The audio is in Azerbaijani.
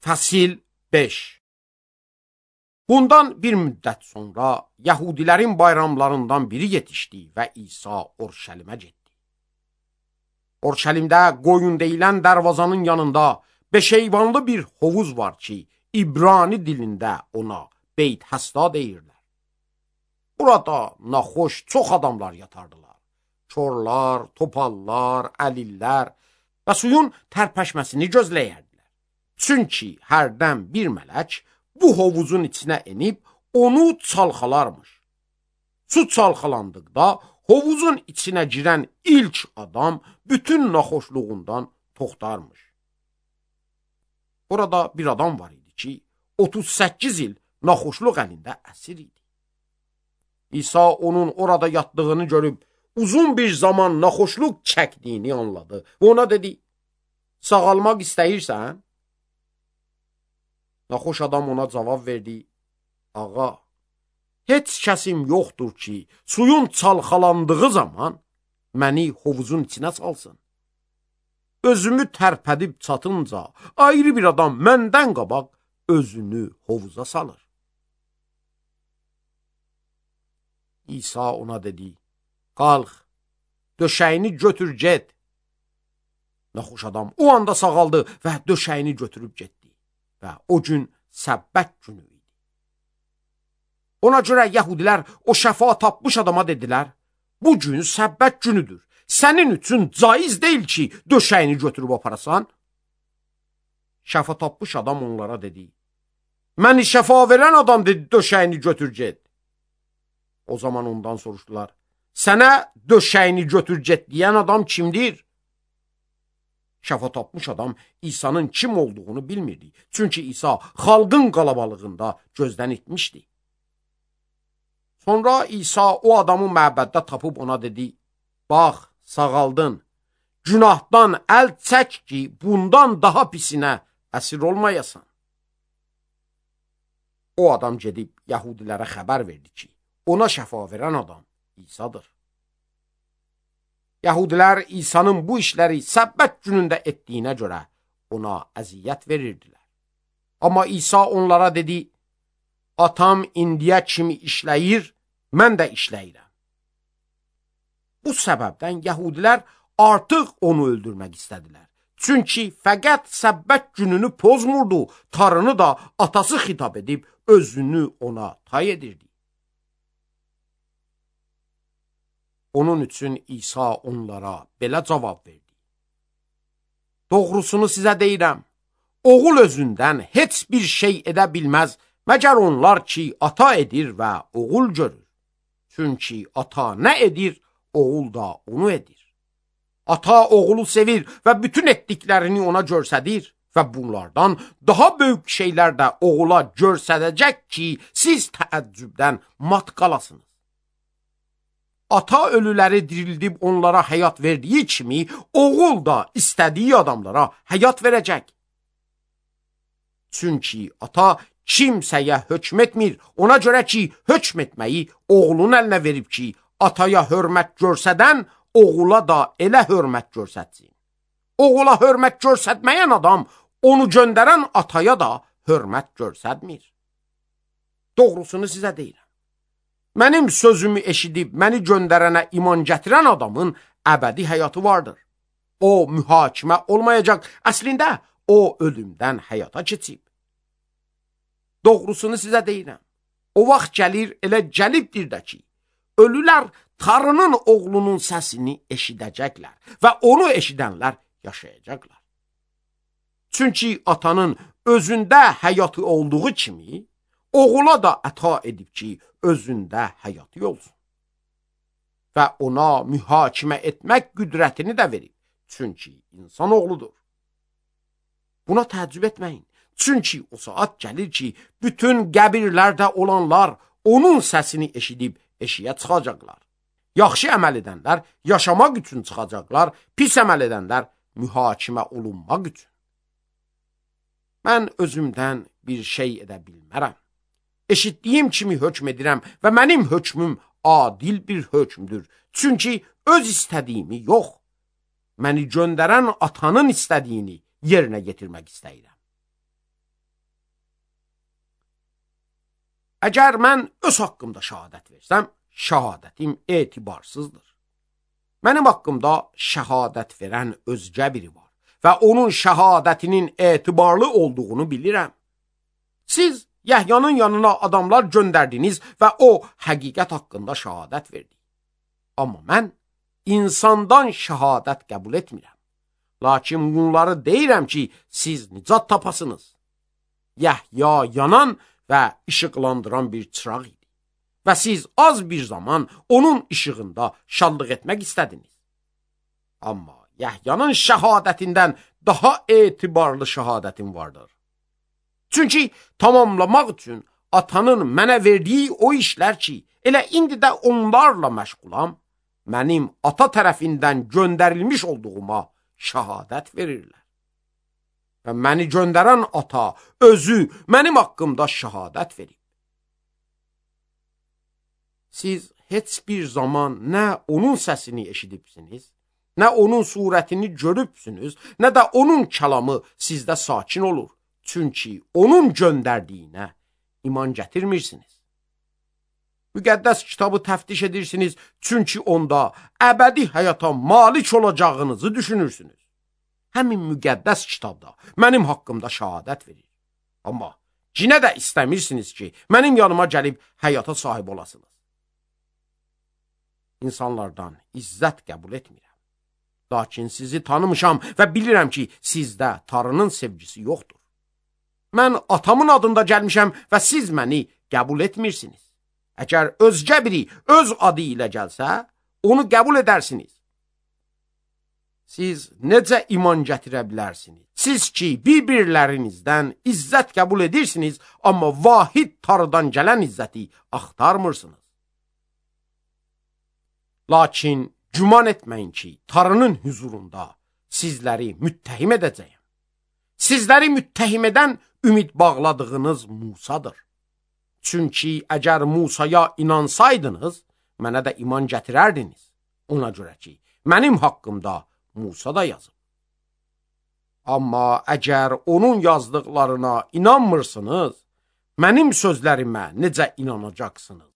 Fəsil 5. Bundan bir müddət sonra Yəhudilərin bayramlarından biri yetişdi və İsa Orşəlimə getdi. Orşəlimdə qoyun deyilən dərvazanın yanında beşeyvanlı bir hovuz var ki, İbrani dilində ona Beyt Həsda deyirlər. Burada naxoş çox adamlar yatardılar. Çorlar, topallar, əlillər və suyun tərpəşməsini gözləyərdilər. Çünki hərdən bir mələk bu hovuzun içinə enib onu çalxalarmış. Su çalxalandıqda hovuzun içinə girən ilk adam bütün naxoşluğundan toxtarmış. Orada bir adam var idi ki, 38 il naxoşluq əlində əsir idi. İsa onun orada yatdığını görüb uzun bir zaman naxoşluq çəkdiyini anladı və ona dedi, sağalmaq istəyirsən? Naxoş adam ona cavab verdi, ağa, heç kəsim yoxdur ki, suyun çalxalandığı zaman məni hovuzun içinə salsın. Özümü tərpədib çatınca ayrı bir adam məndən qabaq özünü hovuza salır. İsa ona dedi, qalx, döşəyini götür get. Naxoş adam o anda sağaldı və döşəyini götürüb getdi. Və o gün səbbət günü idi. Ona görə Yəhudilər o şəfa tapmış adama dedilər, bu gün səbbət günüdür. Sənin üçün caiz deyil ki, döşəyini götürüb aparasan. Şəfa tapmış adam onlara dedi, məni şəfa verən adam dedi, döşəyini götür get. O zaman ondan soruşdular, sənə döşəyini götür get deyən adam kimdir? Şəfa tapmış adam İsa'nın kim olduğunu bilmirdi. Çünki İsa xalqın qalabalığında gözdən itmişdi. Sonra İsa o adamı məbəddə tapıb ona dedi, bax, sağaldın, günahdan əl çək ki, bundan daha pisinə əsir olmayasan. O adam gedib Yəhudilərə xəbər verdi ki, ona şəfa verən adam İsa'dır. Yəhudilər İsa'nın bu işləri səbbət günündə etdiyinə görə ona əziyyət verirdilər. Amma İsa onlara dedi, atam indiyə kimi işləyir, mən də işləyirəm. Bu səbəbdən Yəhudilər artıq onu öldürmək istədilər. Çünki fəqət səbbət gününü pozmurdu, tarını da atası xitab edib özünü ona tay edirdi. Onun üçün İsa onlara belə cavab verdi. Doğrusunu sizə deyirəm, oğul özündən heç bir şey edə bilməz, məgər onlar ki, ata edir və oğul görür. Çünki ata nə edir, oğul da onu edir. Ata oğulu sevir və bütün etdiklərini ona görsədir və bunlardan daha böyük şeylər də oğula görsədəcək ki, siz təəccübdən mat qalasınız. Ata ölüləri dirildib onlara həyat verdiyi kimi, oğul da istədiyi adamlara həyat verəcək. Çünki ata kimsəyə hökm etmir, ona görə ki, hökm etməyi oğlun əlinə verib ki, ataya hörmət görsədən, oğula da elə hörmət görsətsin. Oğula hörmət görsətməyən adam, onu göndərən ataya da hörmət görsətmir. Doğrusunu sizə deyirəm. Mənim sözümü eşidib məni göndərənə iman gətirən adamın əbədi həyatı vardır. O mühakimə olmayacaq, əslində o ölümdən həyata keçib. Doğrusunu sizə deyirəm. O vaxt gəlir, elə gəlibdir də ki, ölülər tarının oğlunun səsini eşidəcəklər və onu eşidənlər yaşayacaqlar. Çünki atanın özündə həyatı olduğu kimi, oğula da əta edib ki, özündə həyatı olsun. Və ona mühakimə etmək qüdrətini də verib. Çünki insan oğludur. Buna təəccüb etməyin. Çünki o saat gəlir ki, bütün qəbirlərdə olanlar onun səsini eşidib eşiyə çıxacaqlar. Yaxşı əməl edənlər yaşamaq üçün çıxacaqlar, pis əməl edənlər mühakimə olunmaq üçün. Mən özümdən bir şey edə bilmərəm. Eşitdiyim kimi hökm edirəm və mənim hökmüm adil bir hökmdür. Çünki öz istədiyimi yox, məni göndərən atanın istədiyini yerinə getirmək istəyirəm. Əgər mən öz haqqımda şəhadət versəm, şəhadətim etibarsızdır. Mənim haqqımda şəhadət verən özgə biri var və onun şəhadətinin etibarlı olduğunu bilirəm. Siz Yəhyanın yanına adamlar göndərdiniz və o həqiqət haqqında şəhadət verdi. Amma mən insandan şəhadət qəbul etmirəm. Lakin bunları deyirəm ki, siz nicat tapasınız. Yəhya yanan və işıqlandıran bir çıraq idi. Və siz az bir zaman onun işığında şadlıq etmək istədiniz. Amma Yəhyanın şəhadətindən daha etibarlı şəhadətim vardır. Çünki tamamlamaq üçün atanın mənə verdiyi o işlər ki, elə indi də onlarla məşğulam, mənim ata tərəfindən göndərilmiş olduğuma şəhadət verirlər. Və məni göndərən ata özü mənim haqqımda şəhadət verib. Siz heç bir zaman nə onun səsini eşidibsiniz, nə onun surətini görübsünüz, nə də onun kəlamı sizdə sakin olur. Çünki onun göndərdiyinə iman gətirmirsiniz. Müqəddəs kitabı təftiş edirsiniz, çünki onda əbədi həyata malik olacağınızı düşünürsünüz. Həmin müqəddəs kitabda mənim haqqımda şəhadət verir. Amma yenə də istəmirsiniz ki, mənim yanıma gəlib həyata sahib olasınız. İnsanlardan izzət qəbul etmirəm. Lakin sizi tanımışam və bilirəm ki, sizdə Tanrının sevgisi yoxdur. Mən atamın adında gəlmişəm və siz məni qəbul etmirsiniz. Əgər özgə biri öz adı ilə gəlsə, onu qəbul edərsiniz. Siz necə iman gətirə bilərsiniz? Siz ki, bir-birlərinizdən izzət qəbul edirsiniz, amma vahid Tanrıdan gələn izzəti axtarmırsınız. Lakin güman etməyin ki, Tanrının huzurunda sizləri müttəhim edəcəyəm. Sizləri müttəhim edən ümid bağladığınız Musadır. Çünki əgər Musaya inansaydınız, mənə də iman gətirərdiniz. Ona görə ki, mənim haqqımda Musa da yazıb. Amma əgər onun yazdıqlarına inanmırsınız, mənim sözlərimə necə inanacaqsınız?